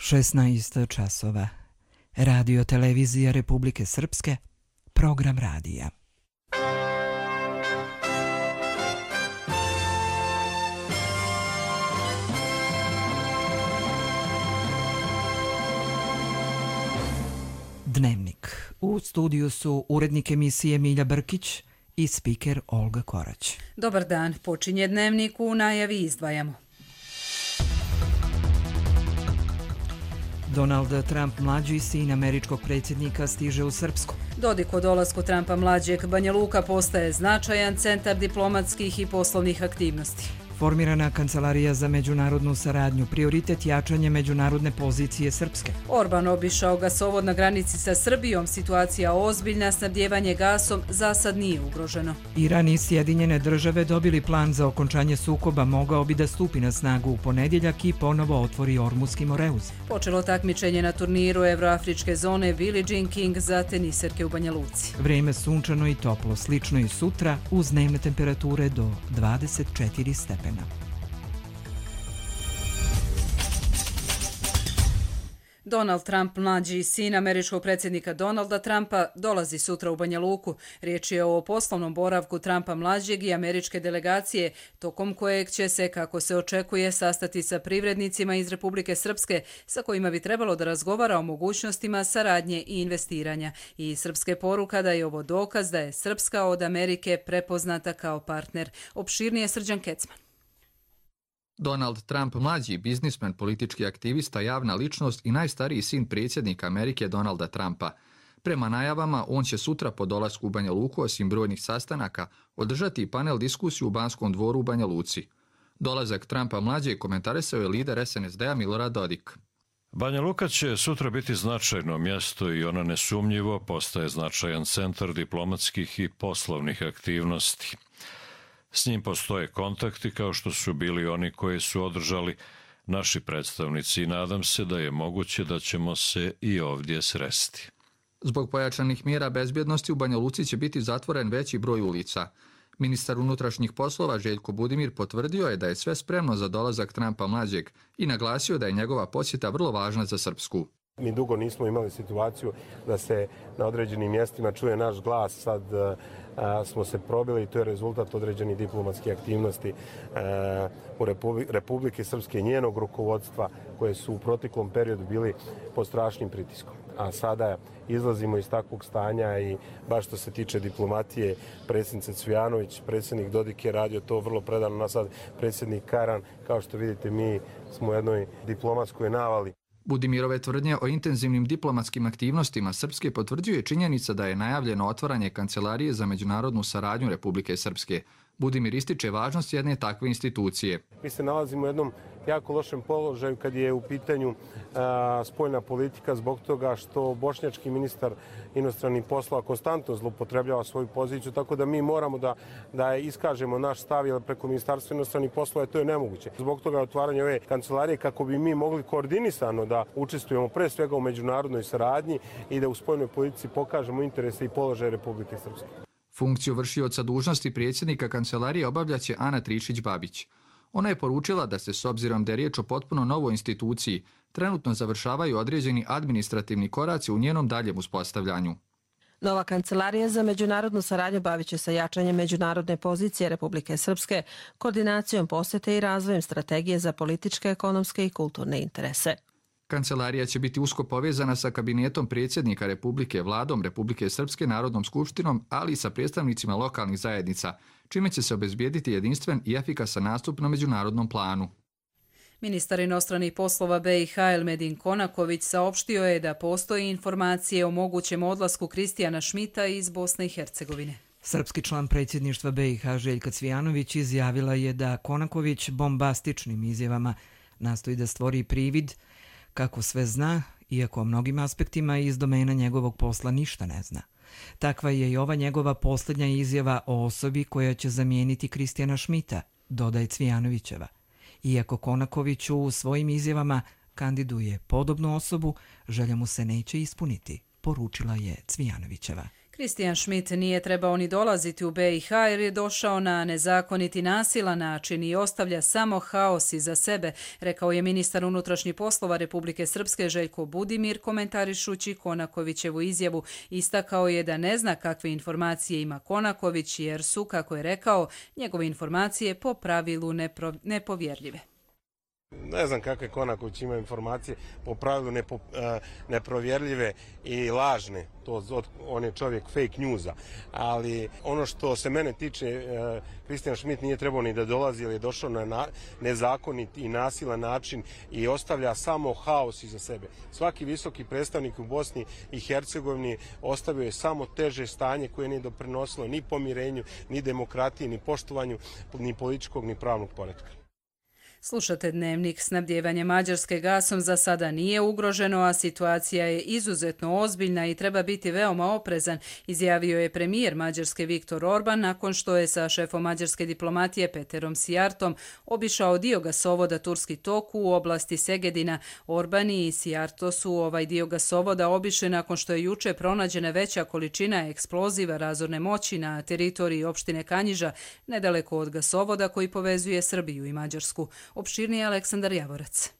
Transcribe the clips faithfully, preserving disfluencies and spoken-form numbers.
šesnaest časova. Radio televizija Republike Srpske, program radija. Dnevnik. U studiju su urednik emisije Milja Brkić i spiker Olga Korać. Dobar dan, počinje Dnevnik, u najavi izdvajamo. Donald Trump mlađi, sin američkog predsjednika, stiže u Srpsku. Dodik o dolasku Trumpa mlađeg, Banja Luka postaje značajan centar diplomatskih i poslovnih aktivnosti. Formirana Kancelarija za međunarodnu saradnju, prioritet jačanje međunarodne pozicije Srpske. Orban obišao gasovod na granici sa Srbijom, situacija ozbiljna, snabdjevanje gasom za sad nije ugroženo. Iran i Sjedinjene države dobili plan za okončanje sukoba, mogao bi da stupi na snagu u ponedjeljak i ponovo otvori Ormuski Moreuz. Počelo takmičenje na turniru Evroafričke zone Billie Jean King za teniserke u Banja Luci. Vrijeme sunčano i toplo, slično i sutra, uz dnevne temperature do dvadeset četiri stepena. Donald Trump, mlađi sin američkog predsjednika Donalda Trumpa, dolazi sutra u Banja Luku. Riječ je o poslovnom boravku Trumpa mlađeg i američke delegacije, tokom kojeg će se, kako se očekuje, sastati sa privrednicima iz Republike Srpske, sa kojima bi trebalo da razgovara o mogućnostima saradnje i investiranja. I Srpske poruka da je ovo dokaz da je Srpska od Amerike prepoznata kao partner. Opširnije Srđan Kecman. Donald Trump, mlađi biznismen, politički aktivista, javna ličnost i najstariji sin predsjednika Amerike Donalda Trumpa. Prema najavama, on će sutra po dolasku u Banja Luku, osim brojnih sastanaka, održati panel diskusiju u Banskom dvoru u Banja Luci. Dolazak Trumpa mlađeg komentarisao je lider es en es de a Milorad Dodik. Banja Luka će sutra biti značajno mjesto i ona nesumnjivo postaje značajan centar diplomatskih i poslovnih aktivnosti. S njim postoje kontakti kao što su bili oni koji su održali naši predstavnici i nadam se da je moguće da ćemo se i ovdje sresti. Zbog pojačanih mjera bezbjednosti u Banja Luci će biti zatvoren veći broj ulica. Ministar unutrašnjih poslova Željko Budimir potvrdio je da je sve spremno za dolazak Trumpa mlađeg i naglasio da je njegova posjeta vrlo važna za Srpsku. Mi dugo nismo imali situaciju da se na određenim mjestima čuje naš glas, sad a, smo se probili i to je rezultat određenih diplomatskih aktivnosti a, u Republi- Republike Srpske i njenog rukovodstva koje su u proteklom periodu bili pod strašnim pritiskom. A sada izlazimo iz takvog stanja i baš što se tiče diplomatije, predsjednica Cvijanović, predsjednik Dodik je radio to vrlo predano, na sad predsjednik Karan, kao što vidite mi smo u jednoj diplomatskoj navali. Budimirove tvrdnje o intenzivnim diplomatskim aktivnostima Srpske potvrđuje činjenica da je najavljeno otvaranje Kancelarije za međunarodnu saradnju Republike Srpske. Budimir ističe važnost jedne takve institucije. Mi se nalazimo u jednom jako lošem položaju kad je u pitanju a, spoljna politika zbog toga što bošnjački ministar inostranih poslova konstantno zloupotrebljava svoju poziciju, tako da mi moramo da, da iskažemo naš stav, jer preko ministarstva inostranih poslova to je nemoguće. Zbog toga je otvaranje ove kancelarije kako bi mi mogli koordinisano da učestvujemo pre svega u međunarodnoj saradnji i da u spoljnoj politici pokažemo interese i položaje Republike Srpske. Funkciju vršioca dužnosti predsjednika kancelarije obavljaće Ana Trišić-Babić. Ona je poručila da se, s obzirom da je riječ o potpuno novoj instituciji, trenutno završavaju određeni administrativni koraci u njenom daljem uspostavljanju. Nova kancelarija za međunarodnu saradnju bavit će se jačanjem međunarodne pozicije Republike Srpske, koordinacijom posjete i razvojem strategije za političke, ekonomske i kulturne interese. Kancelarija će biti usko povezana sa kabinetom predsjednika Republike, Vladom Republike Srpske, Narodnom skupštinom, ali i sa predstavnicima lokalnih zajednica, čime će se obezbijediti jedinstven i efikasan nastup na međunarodnom planu. Ministar inostranih poslova be i ha Elmedin Konaković saopštio je da postoji informacije o mogućem odlasku Kristijana Šmita iz Bosne i Hercegovine. Srpski član predsjedništva be i ha Željka Cvijanović izjavila je da Konaković bombastičnim izjavama nastoji da stvori privid kako sve zna, iako o mnogim aspektima iz domena njegovog posla ništa ne zna. Takva je i ova njegova posljednja izjava o osobi koja će zamijeniti Kristijana Šmita, dodaje Cvijanovićeva. Iako Konaković u svojim izjavama kandiduje podobnu osobu, želja mu se neće ispuniti, poručila je Cvijanovićeva. Christian Schmidt nije trebao ni dolaziti u B i H jer je došao na nezakonit i nasilan način i ostavlja samo haos iza sebe, rekao je ministar unutrašnjih poslova Republike Srpske Željko Budimir komentarišući Konakovićevu izjavu. Istakao je da ne zna kakve informacije ima Konaković jer su, kako je rekao, njegove informacije po pravilu nepro, nepovjerljive. Ne znam kakve Konaković ima informacije, po pravilu nepo, neprovjerljive i lažne. To, on je čovjek fake newsa. Ali ono što se mene tiče, Christian Schmidt nije trebao ni da dolazi, jer je došao na nezakonit i nasilan način i ostavlja samo haos iza sebe. Svaki visoki predstavnik u Bosni i Hercegovini ostavio je samo teže stanje koje nije doprinosilo ni pomirenju, ni demokratiji, ni poštovanju, ni političkog, ni pravnog poretka. Slušate Dnevnik. Snabdijevanje Mađarske gasom za sada nije ugroženo, a situacija je izuzetno ozbiljna i treba biti veoma oprezan, izjavio je premijer Mađarske Viktor Orban nakon što je sa šefom mađarske diplomatije Peterom Sijartom obišao dio gasovoda Turski tok u oblasti Segedina. Orban i Sijarto su ovaj dio gasovoda obišli nakon što je juče pronađena veća količina eksploziva razorne moći na teritoriji opštine Kanjiža, nedaleko od gasovoda koji povezuje Srbiju i Mađarsku. Opširnije Aleksandar Javorac.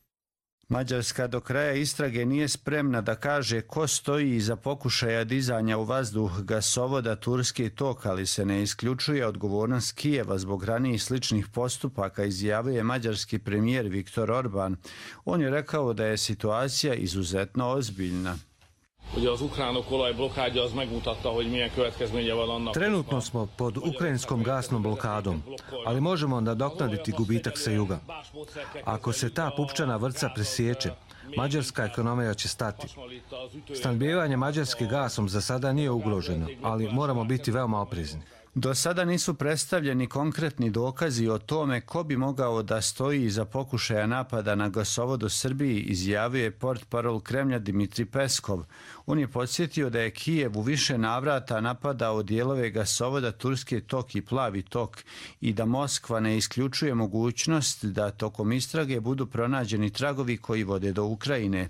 Mađarska do kraja istrage nije spremna da kaže ko stoji iza pokušaja dizanja u vazduh gasovoda Turski tok, ali se ne isključuje odgovornost Kijeva zbog ranijih sličnih postupaka, izjavio je mađarski premijer Viktor Orban. On je rekao da je situacija izuzetno ozbiljna. Trenutno smo pod ukrajinskom gasnom blokadom, ali možemo nadoknaditi gubitak sa juga. Ako se ta pupčana vrpca presječe, mađarska ekonomija će stati. Snabdijevanje Mađarske gasom za sada nije ugroženo, ali moramo biti veoma oprezni. Do sada nisu predstavljeni konkretni dokazi o tome ko bi mogao da stoji iza pokušaja napada na gasovod u Srbiji, izjavio je portparol Kremlja Dmitri Peskov. On je podsjetio da je Kijev u više navrata napadao dijelove gasovoda Turski tok i Plavi tok i da Moskva ne isključuje mogućnost da tokom istrage budu pronađeni tragovi koji vode do Ukrajine.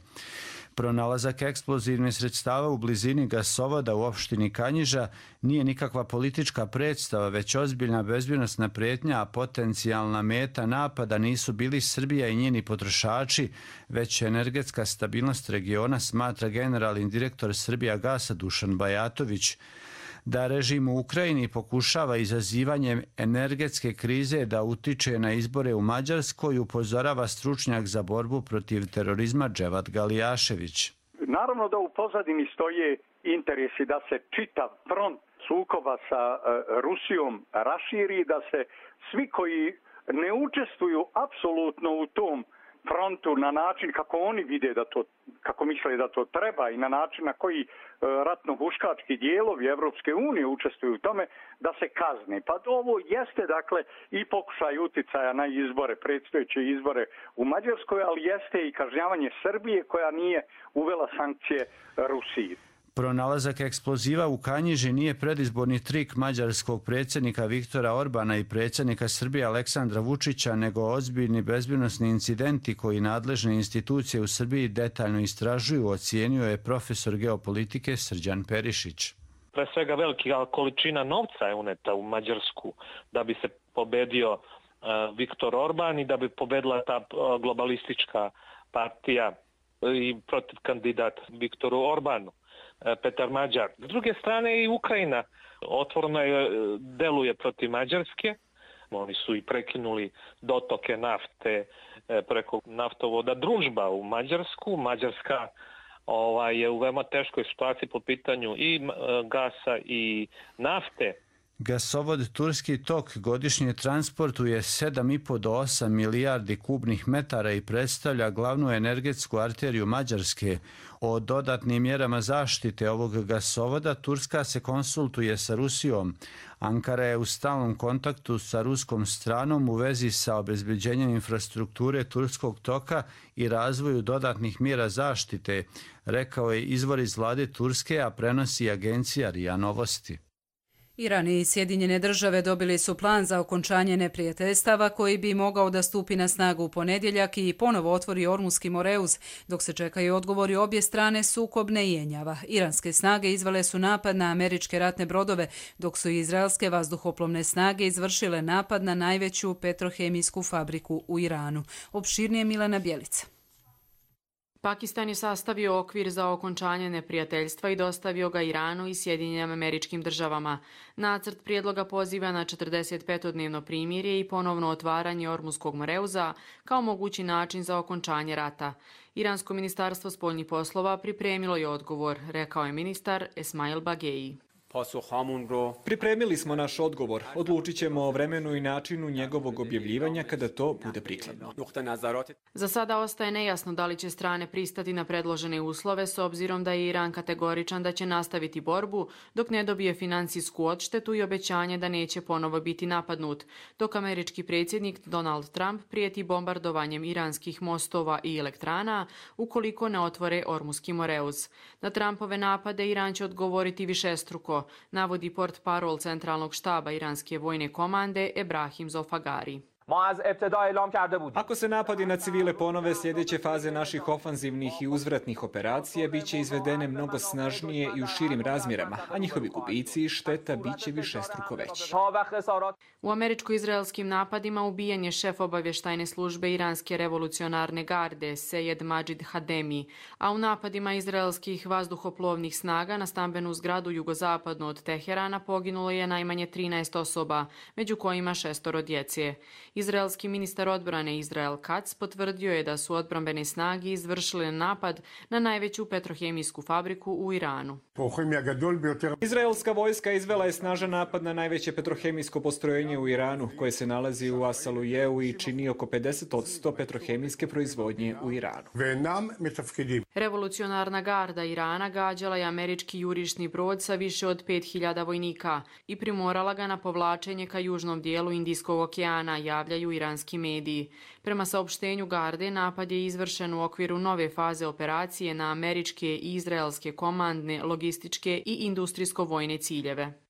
Pronalazak eksplozivnih sredstava u blizini gasovoda u opštini Kanjiža nije nikakva politička predstava, već ozbiljna bezbjednosna prijetnja, a potencijalna meta napada nisu bili Srbija i njeni potrošači, već energetska stabilnost regiona, smatra generalni direktor Srbijagasa Dušan Bajatović. Da režim u Ukrajini pokušava izazivanjem energetske krize da utiče na izbore u Mađarskoj, upozorava stručnjak za borbu protiv terorizma Dževat Galijašević. Naravno da u pozadini stoje interesi da se čitav front sukoba sa Rusijom raširi, da se svi koji ne učestvuju apsolutno u tom frontu na način kako oni vide da to, kako misle da to treba i na način na koji ratno-huškački dijelovi Evropske unije učestvuju u tome, da se kazne. Pa ovo jeste dakle i pokušaj uticaja na izbore, predstojeće izbore u Mađarskoj, ali jeste i kažnjavanje Srbije koja nije uvela sankcije Rusiji. Pronalazak eksploziva u Kanjiži nije predizborni trik mađarskog predsjednika Viktora Orbana i predsjednika Srbije Aleksandra Vučića, nego ozbiljni bezbjednosni incidenti koji nadležne institucije u Srbiji detaljno istražuju, ocijenio je profesor geopolitike Srđan Perišić. Pre svega velika količina novca je uneta u Mađarsku da bi se pobedio uh, Viktor Orban i da bi pobedila ta uh, globalistička partija i protiv kandidat Viktoru Orbanu. Petar Mađar. S druge strane i Ukrajina otvoreno je, deluje protiv Mađarske. Oni su i prekinuli dotoke nafte preko naftovoda Družba u Mađarsku. Mađarska ovaj, je u veoma teškoj situaciji po pitanju i gasa i nafte. Gasovod Turski tok godišnje transportuje sedam i po do osam milijardi kubnih metara i predstavlja glavnu energetsku arteriju Mađarske. O dodatnim mjerama zaštite ovog gasovoda Turska se konsultuje sa Rusijom. Ankara je u stalnom kontaktu sa ruskom stranom u vezi sa obezbeđenjem infrastrukture Turskog toka i razvoju dodatnih mjera zaštite, rekao je izvor iz vlade Turske, a prenosi agencija R I A Novosti. Iran i Sjedinjene države dobili su plan za okončanje neprijateljstava koji bi mogao da stupi na snagu u ponedjeljak i ponovo otvori Ormuski Moreuz. Dok se čekaju odgovori obje strane, sukob ne jenjava. Iranske snage izvele su napad na američke ratne brodove, dok su izraelske vazduhoplovne snage izvršile napad na najveću petrohemijsku fabriku u Iranu. Opširnije Milena Bjelica. Pakistan je sastavio okvir za okončanje neprijateljstva i dostavio ga Iranu i Sjedinjenim Američkim Državama. Nacrt prijedloga poziva na četrdeset petodnevno primirje i ponovno otvaranje Ormuskog Moreuza kao mogući način za okončanje rata. Iransko ministarstvo spoljnih poslova pripremilo je odgovor, rekao je ministar Esmail Bagei. Pripremili smo naš odgovor. Odlučit ćemo o vremenu i načinu njegovog objavljivanja kada to bude prikladno. Za sada ostaje nejasno da li će strane pristati na predložene uslove s obzirom da je Iran kategoričan da će nastaviti borbu dok ne dobije financijsku odštetu i obećanje da neće ponovo biti napadnut, dok američki predsjednik Donald Trump prijeti bombardovanjem iranskih mostova i elektrana ukoliko ne otvore Ormuski Moreuz. Na Trumpove napade Iran će odgovoriti višestruko, navodi portparol centralnog štaba iranske vojne komande Ebrahim Zolfagari. Ako se napadi na civile ponove, sljedeće faze naših ofanzivnih i uzvratnih operacija bit će izvedene mnogo snažnije i u širim razmjerama, a njihovi gubici i šteta bit će višestruko veći. U američko-izraelskim napadima ubijen je šef obavještajne službe Iranske revolucionarne garde Sejed Majid Hademi, a u napadima izraelskih vazduhoplovnih snaga na stambenu zgradu jugozapadno od Teherana poginulo je najmanje trinaest osoba, među kojima šestoro djece. Izraelski ministar odbrane Israel Katz potvrdio je da su odbrambene snage izvršile napad na najveću petrohemijsku fabriku u Iranu. Izraelska vojska izvela je snažan napad na najveće petrohemijsko postrojenje u Iranu, koje se nalazi u Asalujeu i čini oko pedeset posto petrohemijske proizvodnje u Iranu. Revolucionarna garda Irana gađala je američki jurišni brod sa više od pet hiljada vojnika i primorala ga na povlačenje ka južnom dijelu Indijskog okeana, javljaju iranski mediji. Prema saopštenju garde, napad je izvršen u okviru nove faze operacije na američke i izraelske komandne, logističke i industrijsko-vojne ciljeve.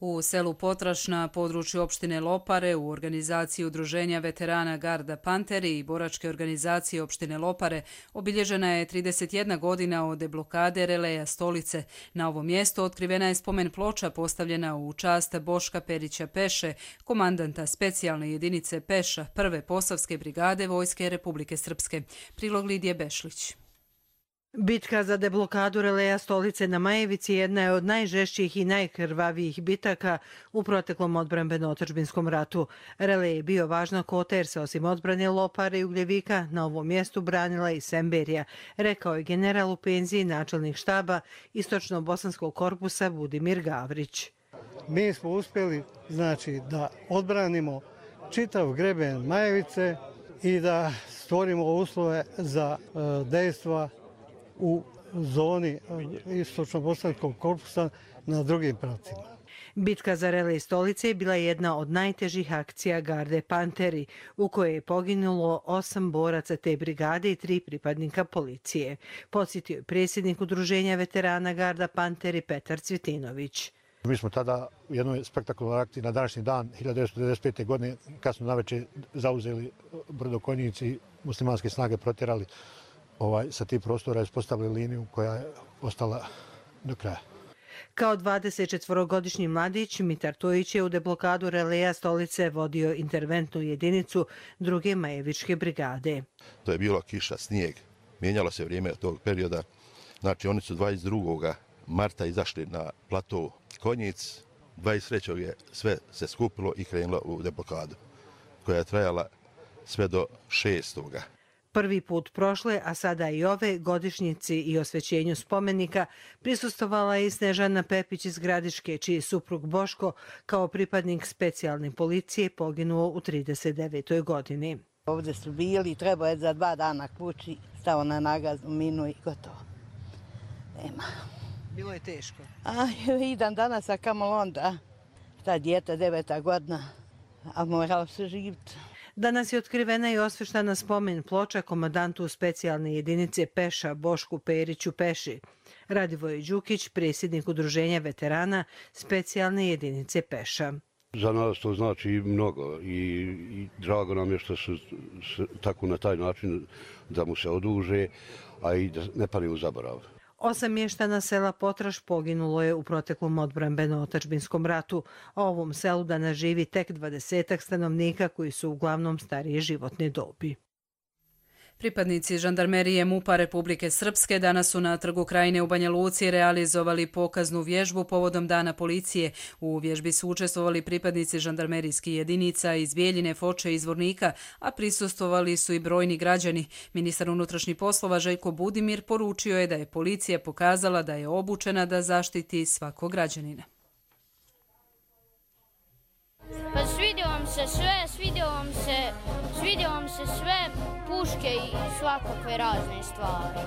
U selu Potraš na području opštine Lopare u organizaciji Udruženja veterana Garda Panteri i boračke organizacije opštine Lopare obilježena je trideset jedna godina od deblokade Releja Stolice. Na ovom mjestu otkrivena je spomen ploča postavljena u čast Boška Perića Peše, komandanta specijalne jedinice Peša prve Posavske brigade Vojske Republike Srpske. Prilog Lidije Bešlić. Bitka za deblokadu Releja Stolice na Majevici jedna je od najžešćih i najkrvavijih bitaka u proteklom odbrambeno-otadžbinskom ratu. Relej je bio važna kota jer se osim odbrane Lopare i Ugljevika na ovom mjestu branila i Semberija, rekao je general u penziji načelnik štaba Istočno-bosanskog korpusa Budimir Gavrić. Mi smo uspjeli znači, da odbranimo čitav greben Majevice i da stvorimo uslove za uh, dejstva u zoni Istočno-bosanskog korpusa na drugim pravcima. Bitka za Relej Stolice je bila jedna od najtežih akcija garde Panteri, u kojoj je poginulo osam boraca te brigade i tri pripadnika policije. Podsjetio je predsjednik Udruženja veterana Garda Panteri Petar Cvjetinović. Mi smo tada u jednoj spektakularnoj akciji na današnji dan hiljadu devetsto devedeset pete. godine kasno navečer zauzeli Brdokonjici i muslimanske snage protjerali Ovaj, sa tih prostora ispostavili liniju koja je ostala do kraja. Kao dvadesetčetvorogodišnji mladić, Mitar Tojić je u deblokadu Releja Stolice vodio interventnu jedinicu druge Majevičke brigade. To je bilo kiša, snijeg. Mijenjalo se vrijeme tog perioda. Znači, oni su dvadeset drugog marta izašli na plato Konjic. dvadeset trećeg je sve se skupilo i krenulo u deblokadu, koja je trajala sve do šestoga Prvi put prošle, a sada i ove godišnjici i osvećenju spomenika prisustovala je i Snežana Pepić iz Gradiške, čiji suprug Boško kao pripadnik specijalne policije poginuo u trideset devetoj godini. Ovdje su bili, treba je za dva dana kući, stao na nagaznu minu i gotovo. Nema. Bilo je teško. A, idem danas, a kamo onda. Ta djeta, deveta godina, a moralo se živjeti. Danas je otkrivena i osveštana spomen ploča komandantu specijalne jedinice Peša Bošku Periću Peši. Radivoj Đukić, predsjednik udruženja veterana specijalne jedinice Peša. Za nas to znači mnogo i, i drago nam je što su tako na taj način da mu se oduže, a i da ne pali u zaborav. Osam mještana sela Potraž poginulo je u proteklom odbrambeno-otadžbinskom ratu, a ovom selu danas živi tek dvadesetak stanovnika koji su uglavnom starije životne dobi. Pripadnici žandarmerije MUP-a Republike Srpske danas su na Trgu Krajine u Banja Luci realizovali pokaznu vježbu povodom Dana policije. U vježbi su učestvovali pripadnici žandarmerijskih jedinica iz Bijeljine, Foče i Zvornika, a prisustvovali su i brojni građani. Ministar unutrašnjih poslova Željko Budimir poručio je da je policija pokazala da je obučena da zaštiti svakog građanina. Pa svidio vam se sve, svidio vam se, svidio vam se sve puške i svakakve razne stvari.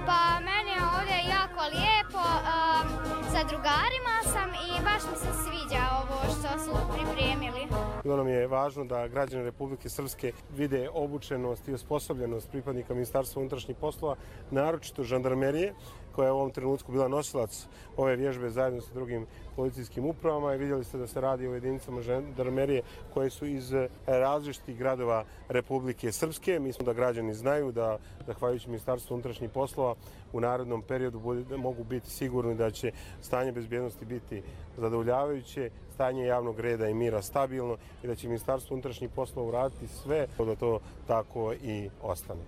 Pa meni je ovdje jako lijepo, um, sa drugarima sam i baš mi se sviđa ovo što su pripremili. Bilo nam je važno da građani Republike Srpske vide obučenost i osposobljenost pripadnika Ministarstva unutrašnjih poslova, naročito žandarmerije, koja je u ovom trenutku bila nosilac ove vježbe zajedno sa drugim policijskim upravama i vidjeli ste da se radi o jedinicama žandarmerije koje su iz različitih gradova Republike Srpske. Mislim da građani znaju da, zahvaljujući Ministarstvu unutrašnjih poslova, u narednom periodu mogu biti sigurni da će stanje bezbjednosti biti zadovoljavajuće, stanje javnog reda i mira stabilno i da će Ministarstvo unutrašnjih poslova uraditi sve da to tako i ostane.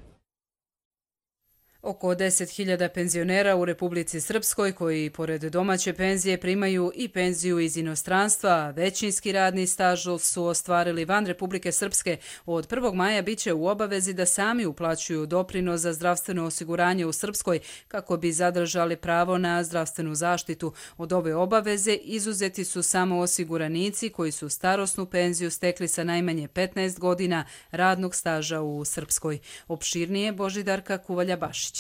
Oko deset hiljada penzionera u Republici Srpskoj koji pored domaće penzije primaju i penziju iz inostranstva, a većinski radni staž su ostvarili van Republike Srpske, od prvog maja biće u obavezi da sami uplaćuju doprinos za zdravstveno osiguranje u Srpskoj kako bi zadržali pravo na zdravstvenu zaštitu. Od ove obaveze izuzeti su samo osiguranici koji su starosnu penziju stekli sa najmanje petnaest godina radnog staža u Srpskoj. Opširnije Božidarka Kuvalja-Bašić.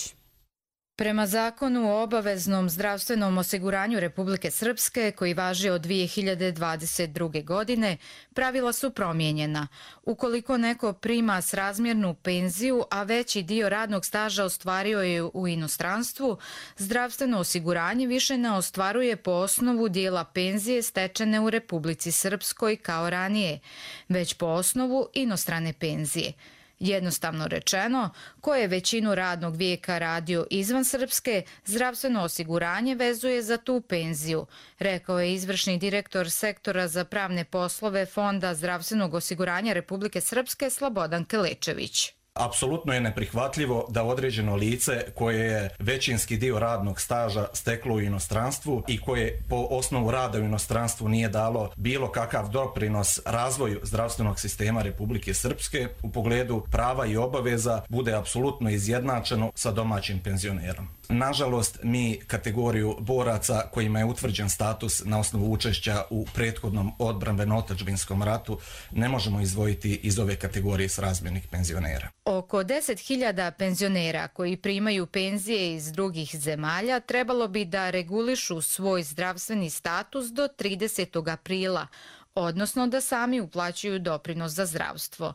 Prema zakonu o obaveznom zdravstvenom osiguranju Republike Srpske, koji važi od dvije hiljade dvadeset druge. godine, pravila su promijenjena. Ukoliko neko prima srazmjernu penziju, a veći dio radnog staža ostvario je u inostranstvu, zdravstveno osiguranje više ne ostvaruje po osnovu dijela penzije stečene u Republici Srpskoj kao ranije, već po osnovu inostrane penzije. Jednostavno rečeno, ko je većinu radnog vijeka radio izvan Srpske, zdravstveno osiguranje vezuje za tu penziju, rekao je izvršni direktor sektora za pravne poslove Fonda zdravstvenog osiguranja Republike Srpske Slobodan Kelečević. Apsolutno je neprihvatljivo da određeno lice koje je većinski dio radnog staža steklo u inostranstvu i koje po osnovu rada u inostranstvu nije dalo bilo kakav doprinos razvoju zdravstvenog sistema Republike Srpske u pogledu prava i obaveza bude apsolutno izjednačeno sa domaćim penzionerom. Nažalost, mi kategoriju boraca kojima je utvrđen status na osnovu učešća u prethodnom odbrambeno-otadžbinskom ratu ne možemo izdvojiti iz ove kategorije srazmjernih penzionera. Oko deset hiljada penzionera koji primaju penzije iz drugih zemalja trebalo bi da regulišu svoj zdravstveni status do tridesetog aprila, odnosno da sami uplaćuju doprinos za zdravstvo.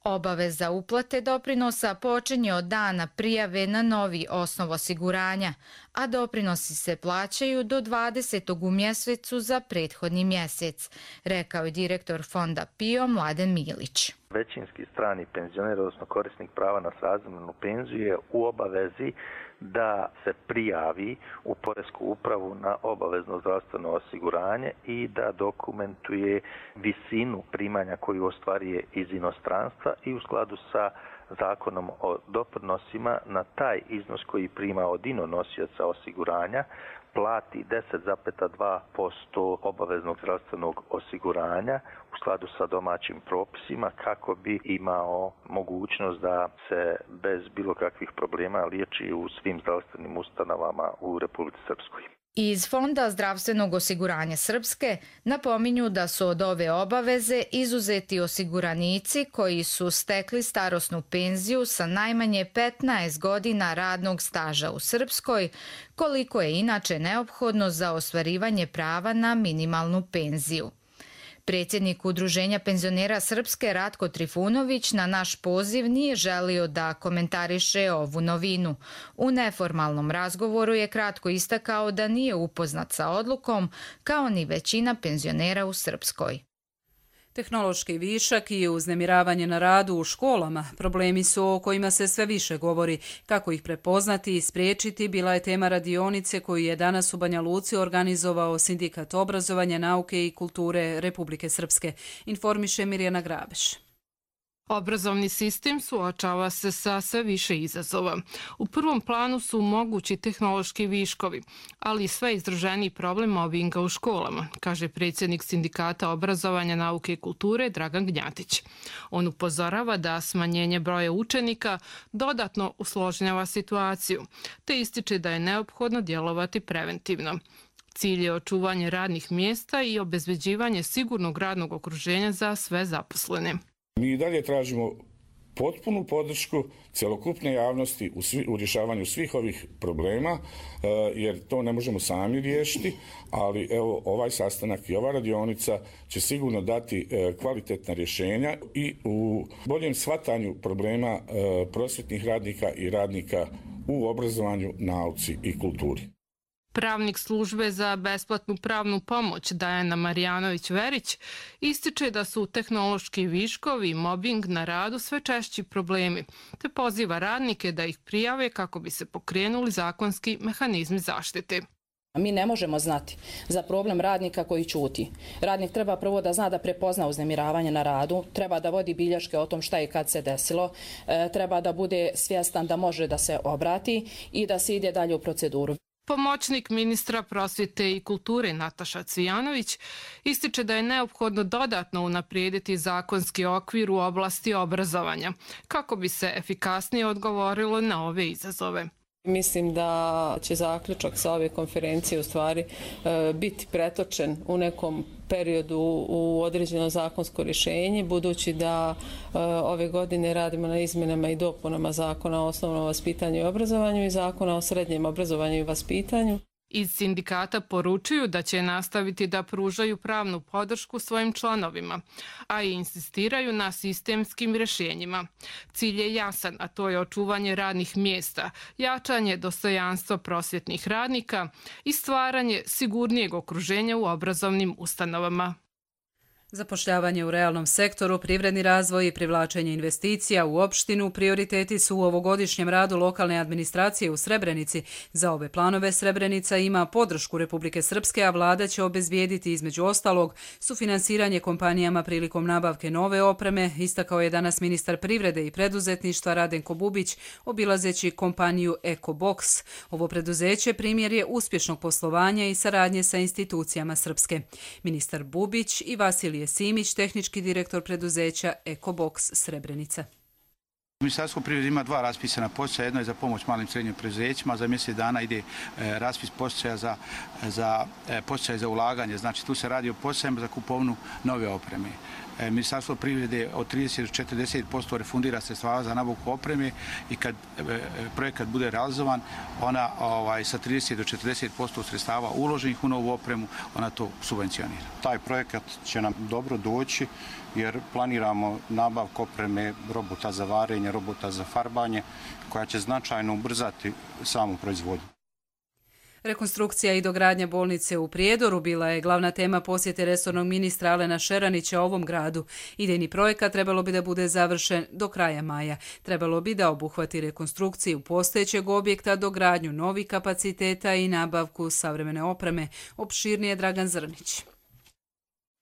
Obaveza uplate doprinosa počinje od dana prijave na novi osnov osiguranja, a doprinosi se plaćaju do dvadesetog u mjesecu za prethodni mjesec, rekao je direktor Fonda P I O Mladen Milić. Većinski strani penzioner, odnosno korisnik prava na srazmjernu penziju, je u obavezi da se prijavi u Poresku upravu na obavezno zdravstveno osiguranje i da dokumentuje visinu primanja koju ostvaruje iz inostranstva i u skladu sa zakonom o doprinosima na taj iznos koji prima od inonosioca osiguranja plati deset zarez dva posto obaveznog zdravstvenog osiguranja u skladu sa domaćim propisima kako bi imao mogućnost da se bez bilo kakvih problema liječi u svim zdravstvenim ustanovama u Republici Srpskoj. Iz Fonda zdravstvenog osiguranja Srpske napominju da su od ove obaveze izuzeti osiguranici koji su stekli starosnu penziju sa najmanje petnaest godina radnog staža u Srpskoj, koliko je inače neophodno za ostvarivanje prava na minimalnu penziju. Predsjednik Udruženja penzionera Srpske Ratko Trifunović na naš poziv nije želio da komentariše ovu novinu. U neformalnom razgovoru je kratko istakao da nije upoznat sa odlukom, kao ni većina penzionera u Srpskoj. Tehnološki višak i uznemiravanje na radu u školama problemi su o kojima se sve više govori. Kako ih prepoznati i spriječiti bila je tema radionice koju je danas u Banja Luci organizovao Sindikat obrazovanja, nauke i kulture Republike Srpske. Informiše Mirjana Grabeš. Obrazovni sistem suočava se sa sve više izazova. U prvom planu su mogući tehnološki viškovi, ali i sve izraženiji problem mobinga u školama, kaže predsjednik Sindikata obrazovanja, nauke i kulture Dragan Gnjatić. On upozorava da smanjenje broja učenika dodatno usložnjava situaciju, te ističe da je neophodno djelovati preventivno. Cilj je očuvanje radnih mjesta i obezbeđivanje sigurnog radnog okruženja za sve zaposlene. Mi i dalje tražimo potpunu podršku cjelokupne javnosti u, svi, u rješavanju svih ovih problema, jer to ne možemo sami riješiti, ali evo ovaj sastanak i ova radionica će sigurno dati kvalitetna rješenja i u boljem shvatanju problema prosvjetnih radnika i radnika u obrazovanju, nauci i kulturi. Pravnik službe za besplatnu pravnu pomoć Dajana Marijanović-Verić ističe da su tehnološki viškovi i mobing na radu sve češći problemi, te poziva radnike da ih prijave kako bi se pokrenuli zakonski mehanizmi zaštite. Mi ne možemo znati za problem radnika koji ćuti. Radnik treba prvo da zna da prepozna uznemiravanje na radu, treba da vodi bilješke o tom šta i kad se desilo, treba da bude svjestan da može da se obrati i da se ide dalje u proceduru. Pomoćnik ministra prosvjete i kulture Nataša Cvijanović ističe da je neophodno dodatno unaprijediti zakonski okvir u oblasti obrazovanja, kako bi se efikasnije odgovorilo na ove izazove. Mislim da će zaključak sa ove konferencije u stvari biti pretočen u nekom periodu u određeno zakonsko rješenje, budući da ove godine radimo na izmjenama i dopunama Zakona o osnovnom vaspitanju i obrazovanju i Zakona o srednjem obrazovanju i vaspitanju. Iz sindikata poručuju da će nastaviti da pružaju pravnu podršku svojim članovima, a i insistiraju na sistemskim rješenjima. Cilj je jasan, a to je očuvanje radnih mjesta, jačanje dostojanstva prosvjetnih radnika i stvaranje sigurnijeg okruženja u obrazovnim ustanovama. Zapošljavanje u realnom sektoru, privredni razvoj i privlačenje investicija u opštinu prioriteti su u ovogodišnjem radu lokalne administracije u Srebrenici. Za ove planove Srebrenica ima podršku Republike Srpske, a vlada će obezbijediti između ostalog sufinansiranje kompanijama prilikom nabavke nove opreme, istakao je danas ministar privrede i preduzetništva Radenko Bubić, obilazeći kompaniju EcoBox. Ovo preduzeće primjer je uspješnog poslovanja i saradnje sa institucijama Srpske. Ministar Bubić i Vasilije Simić, tehnički direktor preduzeća EcoBox Srebrenica. Ministarstvo privrede ima dva raspisana poticaja. Jedno je za pomoć malim i srednjim preduzećima. Za mjesec dana ide raspis poticaja za, za poticaje za ulaganje. Znači tu se radi o poticajima za kupovinu nove opreme. Ministarstvo privrede od trideset do četrdeset posto refundira sredstava za nabavku opreme i kad projekat bude realizovan, ona ovaj, sa trideset do četrdeset posto sredstava uloženih u novu opremu, ona to subvencionira. Taj projekat će nam dobro doći jer planiramo nabavku opreme robota za varenje, robota za farbanje, koja će značajno ubrzati samu proizvodnju. Rekonstrukcija i dogradnja bolnice u Prijedoru bila je glavna tema posjete resornog ministra Alena Šeranića ovom gradu. Idejni projekat trebalo bi da bude završen do kraja maja. Trebalo bi da obuhvati rekonstrukciju postojećeg objekta, dogradnju novih kapaciteta i nabavku savremene opreme. Opširnije Dragan Zrnić.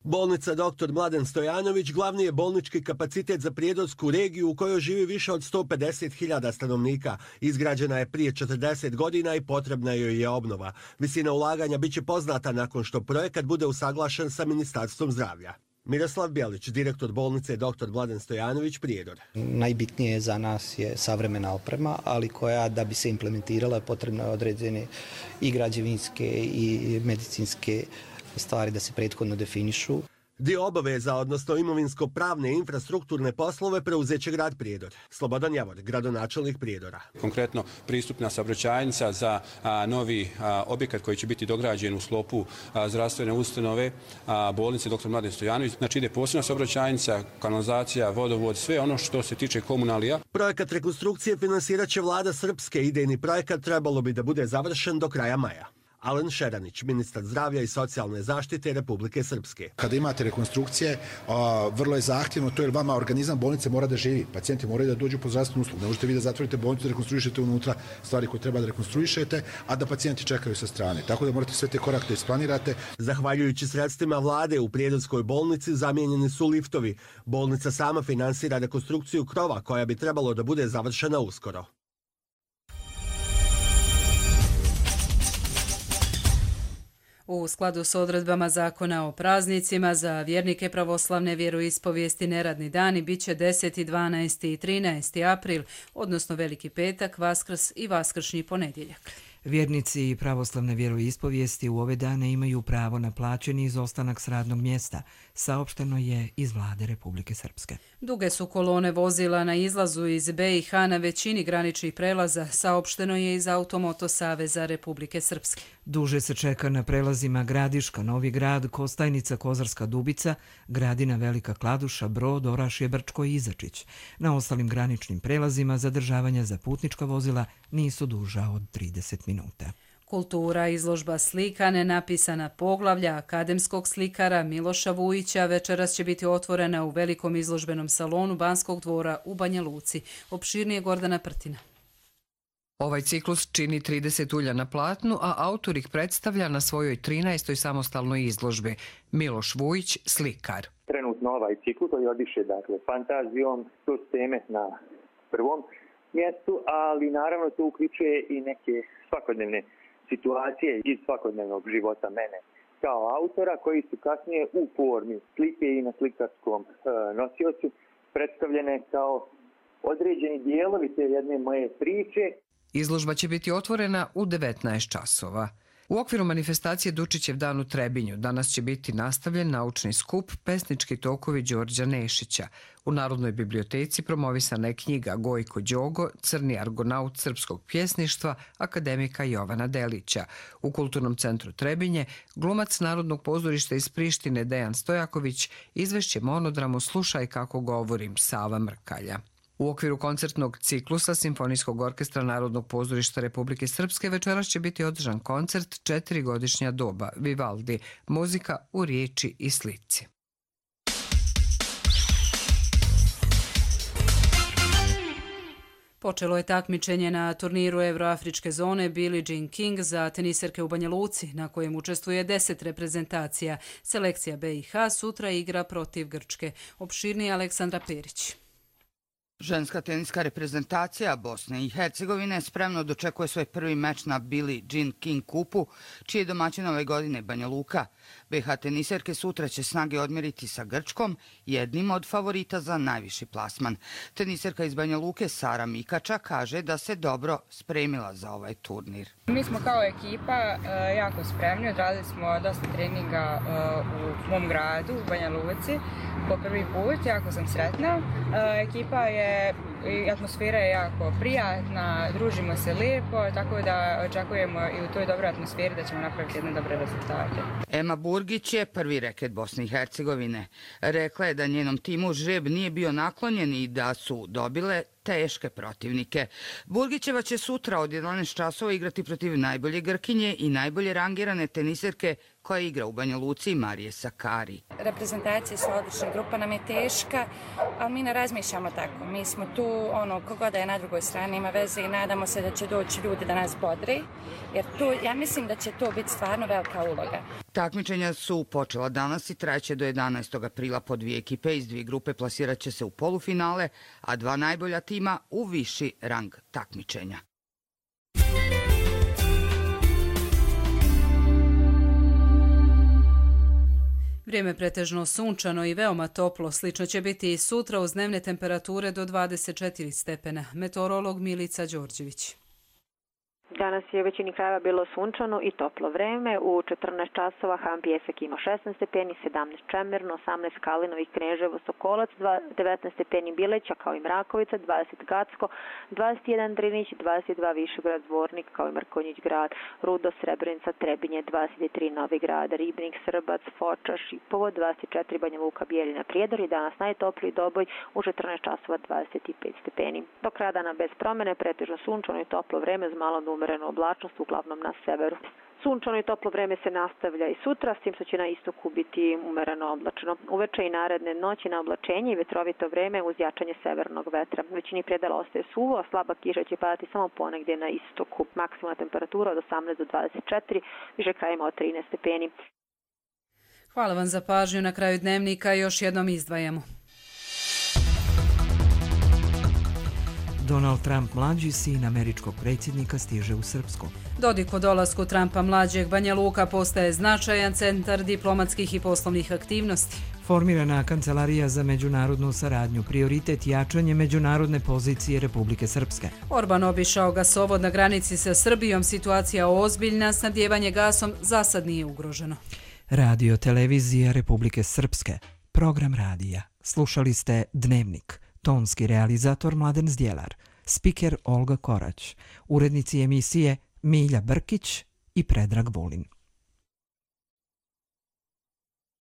Bolnica doktor Mladen Stojanović glavni je bolnički kapacitet za prijedorsku regiju u kojoj živi više od sto pedeset hiljada stanovnika. Izgrađena je prije četrdeset godina i potrebna joj je obnova. Visina ulaganja biće poznata nakon što projekat bude usaglašen sa Ministarstvom zdravlja. Miroslav Bjelić, direktor bolnice doktor Mladen Stojanović, Prijedor. Najbitnije za nas je savremena oprema, ali koja da bi se implementirala potrebno je određene i građevinske i medicinske stvari da se prethodno definišu. Dio obaveza, odnosno imovinsko-pravne infrastrukturne poslove, preuzeće grad Prijedor. Slobodan Javor, gradonačelnik Prijedora. Konkretno, pristupna saobraćajnica za a, novi a, objekat koji će biti dograđen u sklopu a, zdravstvene ustanove a, bolnice doktor Mladen Stojanović. Znači ide posebna saobraćajnica, kanalizacija, vodovod, sve ono što se tiče komunalija. Projekat rekonstrukcije finansirat će vlada Srpske. Idejni projekat trebalo bi da bude završen do kraja maja. Alen Šeranić, ministar zdravlja i socijalne zaštite Republike Srpske. Kada imate rekonstrukcije, a, vrlo je zahtjevno to jer vama organizam bolnice mora da živi. Pacijenti moraju da dođu po zdravstvenu uslugu. Ne možete vi da zatvorite bolnicu, da rekonstruišete unutra stvari koje treba da rekonstruišete, a da pacijenti čekaju sa strane. Tako da morate sve te korake da isplanirate. Zahvaljujući sredstvima vlade u Prijedorskoj bolnici zamijenjeni su liftovi. Bolnica sama finansira rekonstrukciju krova koja bi trebalo da bude završena uskoro. U skladu s odredbama zakona o praznicima za vjernike pravoslavne vjeroispovijesti neradni dani biće deseti, dvanaesti i trinaesti april, odnosno Veliki petak, Vaskrs i Vaskršnji ponedjeljak. Vjernici i pravoslavne vjeroispovijesti u ove dane imaju pravo na plaćeni izostanak s radnog mjesta, saopšteno je iz vlade Republike Srpske. Duge su kolone vozila na izlazu iz be i ha na većini graničnih prelaza, saopšteno je iz Automoto saveza Republike Srpske. Duže se čeka na prelazima Gradiška, Novi Grad, Kostajnica, Kozarska Dubica, Gradina, Velika Kladuša, Brod, Orašje, Brčko i Izačić. Na ostalim graničnim prelazima zadržavanja za putnička vozila nisu duža od trideset minuta. Kultura, izložba slika, nenapisana poglavlja akademskog slikara Miloša Vujića večeras će biti otvorena u velikom izložbenom salonu Banskog dvora u Banja Luci. Opširnije Gordana Prtina. Ovaj ciklus čini trideset ulja na platnu, a autor ih predstavlja na svojoj trinaestoj samostalnoj izložbi. Miloš Vujić, slikar. Trenutno ovaj ciklus koji odiše dakle, fantazijom, to su teme na prvom mjestu, ali naravno to uključuje i neke svakodnevne situacije iz svakodnevnog života mene kao autora koji su kasnije u formi slike i na slikarskom e, nosiocu predstavljene kao određeni dijelovi te jedne moje priče. Izložba će biti otvorena u devetnaest časova. U okviru manifestacije Dučićev dan u Trebinju danas će biti nastavljen naučni skup Pesnički tokovi Đorđa Nešića. U Narodnoj biblioteci promovisana je knjiga Gojko Đogo, Crni argonaut srpskog pjesništva, akademika Jovana Delića. U Kulturnom centru Trebinje glumac Narodnog pozorišta iz Prištine Dejan Stojaković izvešće monodramu Slušaj kako govorim Sava Mrkalja. U okviru koncertnog ciklusa Simfonijskog orkestra Narodnog pozorišta Republike Srpske večeras će biti održan koncert Četiri godišnja doba Vivaldi, muzika u riječi i slici. Počelo je takmičenje na turniru Euroafričke zone Billie Jean King za teniserke u Banja Luci, na kojem učestvuje deset reprezentacija. Selekcija be i ha sutra igra protiv Grčke. Opširnije Aleksandra Perić. Ženska teniska reprezentacija Bosne i Hercegovine spremno dočekuje svoj prvi meč na Billie Jean King kupu, čiji je domaćin ove godine Banja Luka. be i ha teniserke sutra će snage odmjeriti sa Grčkom, jednim od favorita za najviši plasman. Teniserka iz Banja Luke Sara Mikača kaže da se dobro spremila za ovaj turnir. Mi smo kao ekipa jako spremni, odradili smo dosta treninga u mom gradu, u Banja Luci, po prvi put, jako sam sretna. Ekipa je, atmosfera je jako prijatna, družimo se lijepo, tako da očekujemo i u toj dobroj atmosferi da ćemo napraviti jedne dobre rezultate. Ema Burgić je prvi reket Bosne i Hercegovine. Rekla je da njenom timu žreb nije bio naklonjen i da su dobile teške protivnike. Burgićeva će sutra od jedanaest časova igrati protiv najbolje Grkinje i najbolje rangirane teniserke koja igra u Banja Luci, Marije Sakari. Reprezentacije su odlične, grupa nam je teška, ali mi ne razmišljamo tako. Mi smo tu, ono, kogoda je na drugoj strani ima veze i nadamo se da će doći ljudi da nas bodri, jer tu, ja mislim da će to biti stvarno velika uloga. Takmičenja su počela danas i trajeće do jedanaestog aprila. Po dvije ekipe iz dvije grupe plasirat će se u polufinale, a dva najbolja tima u viši rang takmičenja. Vrijeme pretežno sunčano i veoma toplo, slično će biti i sutra uz dnevne temperature do dvadeset četiri stepena. Meteorolog Milica Đorđević. Danas je u većini krajeva bilo sunčano i toplo vreme. U četrnaest časova Han Pijesak ima šesnaest stepeni, sedamnaest Čemerno, osamnaest Kalinović, Kneževo, Sokolac, devetnaest stepeni Bileća kao i Mrakovica, dvadeset Gacko, dvadeset jedan Drinić, dvadeset dva Višegrad, Zvornik kao i Mrkonjić grad, Rudo, Srebrenica, Trebinje, dvadeset tri Novi Grad, Ribnik, Srbac, Foča, Šipovo, dvadeset četiri Banja Luka, Bijeljina, Prijedor i danas najtopliji Doboj u četrnaest časova dvadeset pet stepeni. Do kraja dana bez promene, pretežno sunčano i toplo vreme uz malo umerenu oblačnost, uglavnom na severu. Sunčano i toplo vreme se nastavlja i sutra, s tim što će na istoku biti umereno oblačno. Uveče i naredne noći na oblačenje i vetrovito vreme uz jačanje severnog vetra. Većini predela ostaje suvo, a slaba kiša će padati samo ponegdje na istoku. Maksimalna temperatura od osamnaest do dvadeset četiri, više krajima od trinaest stepeni. Hvala vam za pažnju. Na kraju dnevnika još jednom izdvajamo. Donald Trump mlađi, sin američkog predsjednika, stiže u Srpsku. Dodik o dolasku Trumpa mlađeg, Banja Luka postaje značajan centar diplomatskih i poslovnih aktivnosti. Formirana Kancelarija za međunarodnu saradnju, prioritet jačanje međunarodne pozicije Republike Srpske. Orban obišao gasovod na granici sa Srbijom, situacija ozbiljna, snabdjevanje gasom za sad nije ugroženo. Radio televizija Republike Srpske, program radija. Slušali ste Dnevnik. Tonski realizator Mladen Zdjelar, spiker Olga Korać, urednici emisije Milja Brkić i Predrag Vulin.